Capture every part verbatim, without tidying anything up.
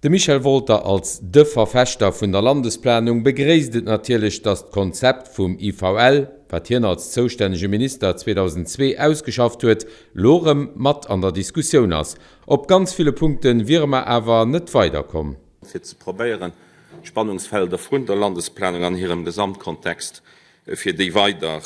De Michel Wolter als de Verfechter vun der Landesplanung begréisst et natierlech, datt d'Konzept vum I V L, wat hien als zoustännege Minister zweedausendzwee ausgeschafft huet, lo rëm mat an der Diskussioun ass. Op ganz ville Punkte wiere mer awer net weiderkomm. Fir ze probéieren, d'Spannungsfelder vun der Landesplanung an hirem Gesamtkontext, fir déi weider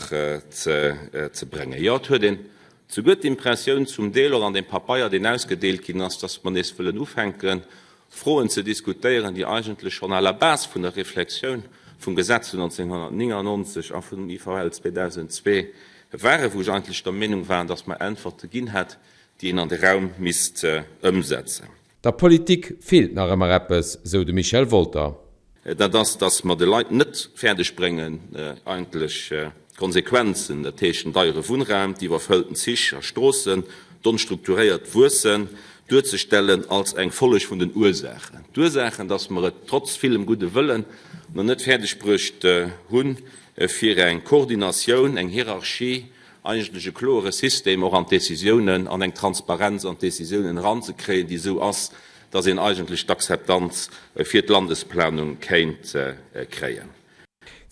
ze ze bréngen. Jo, et huet een souguer d'Impressioun, zum Deel och an deem Pabeier, deen ausgedeelt ginn ass, dass mer nees wëllen ufänken, Froen ze diskutéieren, déi eigentlech schonn à la base vun der Reflexioun vum Gesetz vun nonzénghonnertnéngannonzeg a vun dem I V L zweedausendzwee waren, wou ech eigentlech der Meenung war, dass mer Äntwerte ginn hätt, déi een an de Raum misst ëmsetzen. Der Politik feelt nach ëmmer eppes, sou de Michel Wolter. Dat ass, dass mer de Leit net fäerdeg bréngen, eigentlech d'Konsequenzen, dat heescht den deiere Wunnraum, d'iwwerfëllten Zich a Stroossen, d'onstrukturéiert Wuessen, duerzestellen als eng Folleg vun den Ursaachen. D'Ursaachen, dass mer et trotz villem gudde Wëllen nach net fäerdeg bruecht hunn, fir eng Koordinatioun, eng Hierarchie, eigentlech e kloere System och an d'Décisiounen an eng Transparenz an d'Décisiounen eranzekréien, déi esou ass, dass een eigentlech d'Akzeptanz fir d'Landesplanung kéint kréien.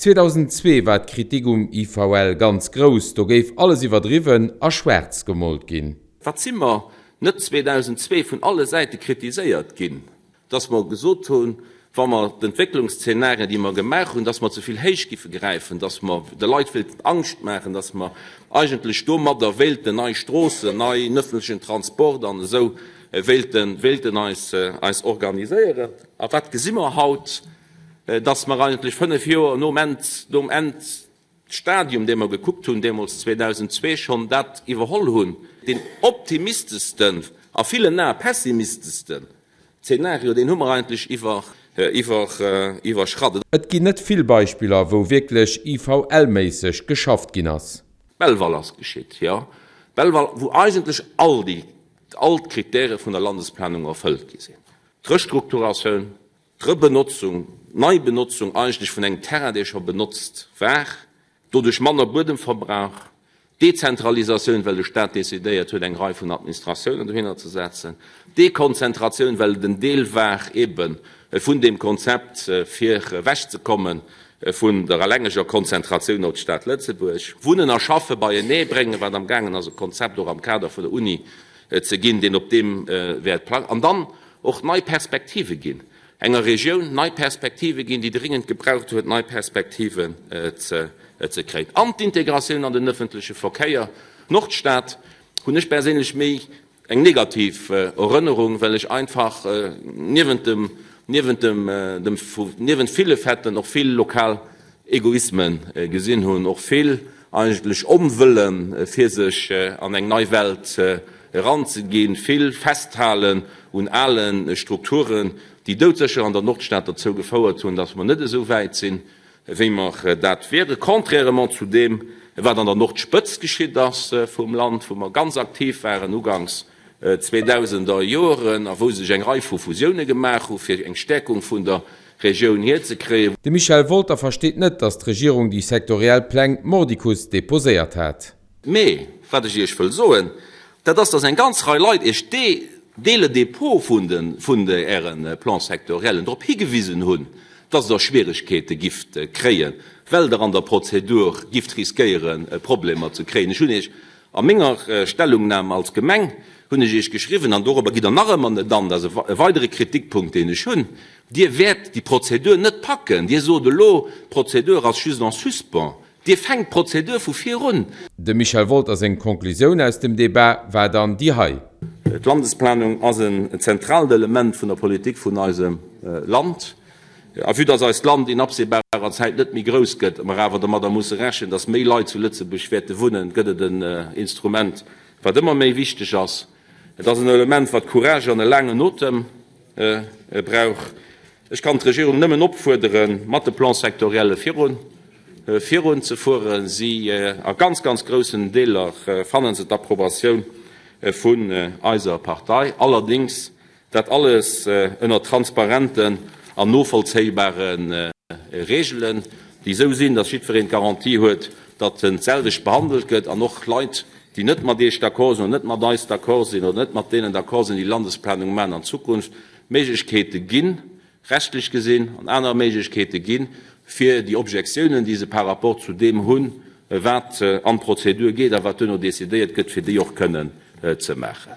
zweedausendzwee war d'Kritik um I V L ganz grouss, do géif alles iwwerdriwwen a schwaarz gemoolt ginn. Wat si mer net zweedausendzwee vun alle Säite kritiséiert ginn, dass mer gesot hunn, wa mer d'Entwécklungsszenarien, déi mer gemaach hunn, dass mer ze vill héich giffe gräifen, dass mer de Leit wéilten Angscht maachen, dass mer eigentlech domadder wéilten nei Stroossen, neien ëffentlechen Transport an esou wéilten, wéilten eis, eis organiséieren. A wat gesi mer haut? Dass mer eigentlech fënnef Joer nom End, nom Endstadium, dee mer gekuckt hunn deemools zweedausendzwee schonn, dat iwwerholl hunn, deen optimisteschsten, a villen Ae pessimisteschsten Zenario, deen hu mer eigentlech iwwer, iwwer, iwwerschratt. Et ginn net vill Beispiller, wou wierklech I V L-méisseg geschafft ginn ass. Belval ass geschitt, jo, Belval, wou eigentlech all déi, all d'Kritäre vun der Landesplanung erfëllt gi sinn. D'Restrukturatioun, d'Rebenotzung, d'Neibenotzung eigentlech vun engem Terrain, dee scho benotzt war, doduerch manner Buedemverbrauch, Dezentralisatioun, well de Staat decidéiert huet, eng Rei vun Administratiounen dohinner ze setzen, Dekonzentratioun, well et en Deel war ebe vun deem Konzept, fir ewechzekomme vun der allengeger Konzentratioun op d'Stad Lëtzebuerg, Wunnen a Schaffe beienee bréngen, wat amgaangen ass e Konzept och am Kader vun der Uni ze ginn, deen op deem wäert plangen, an dann och nei Perspektive ginn, enger Regioun nei Perspektive ginn, déi dringend gebraucht huet, nei Perspektiven ze ze kréien. An d'Integratioun an den ëffentleche Verkéier. D'Nordstad hunn ech perséinlech méi eng negativ Erënnerung, well ech einfach niewent dem, niewent dem, dem, niewent ville Faiten och vill lokal Egoisme gesinn hunn, och vill eigentlech Onwëllen, fir sech an eng nei Welt eranzeginn, vill Festhalen un ale Strukturen, déi doudsécher an der Nordstad derzou gefouert hunn, dass mer net esou wäit sinn, wéi mer dat wieren, contrairement zu deem, wat an der Nordspëtzt geschitt ass vum Land, wou mer ganz aktiv waren uganks zweedausender Joren a wou sech eng Rei vu Fusioune gemaach hu fir eng Stäerkung vun der Regioun hierzekréien. De Michel Wolter versteet net, datt d'Regierung déi sektoriell Pläng mordicus deposéiert hat. Mee wat ech Iech wëll soen, dat ass, datt eng ganz Rei Leit Iech dès, dès le dépôt vun de, vun de Äre Plans sectoriellen drop higewisen hunn, datt Der Schwieregkeete gifft kréien, well Der an der Prozedur gifft riskéieren, Problemer ze kréien. Ech hunn Iech a menger Stellungnahme als Gemeng hunn ech Iech geschriwwen, an dorobber gitt Der nach ëmmer net an, dat ass e weidere Kritikpunkt, deen ech hunn, Dir wäert déi Prozedur net packen. Dir sot elo, d'Prozedur ass just en suspens. Dir fänkt d'Prozedur vu vir un. Dem Michel Wolter seng Konklusioun aus dem Debat war dann déi hei. D'Landesplanung ass en zentraalt Element vun der Politik vun eisem Land. A vue dass eist Land in absehbarer Zäit net méi grouss gëtt, mer awer domadder musse rechnen, dass méi Leit zu Lëtzebuerg wäerte wunnen, gëtt et en Instrument, wat ëmmer méi wichteg ass. Et ass en Element, wat Courage an e laangen Otem brauch. Ech kann d'Regierung nëmmen opfuerderen, mat de Plans sectorielle virun virun ze fueren. Si a ganz, ganz groussen Deeler fanne se d'Approbatioun vun eiser Partei. Allerdéngs dat alles ënner transparenten an novollzéibare Reegelen, déi esou sinn, datt jiddwereen d'Garantie huet, datt en d'selwecht behandelt gëtt, an och Leit, déi net mat Iech d'accord sinn oder net mat eis d'accord sinn oder net mat deenen d'accord sinn, déi Landesplanung maachen an Zukunft, Méiglechkeete ginn, rechtlech gesinn, an aner Méiglechkeete ginn, fir déi Objektiounen, déi se par rapport zu deem hunn, wat an d'Prozedur geet a wat duerno decidéiert gëtt, fir déi och kënnen ze maachen.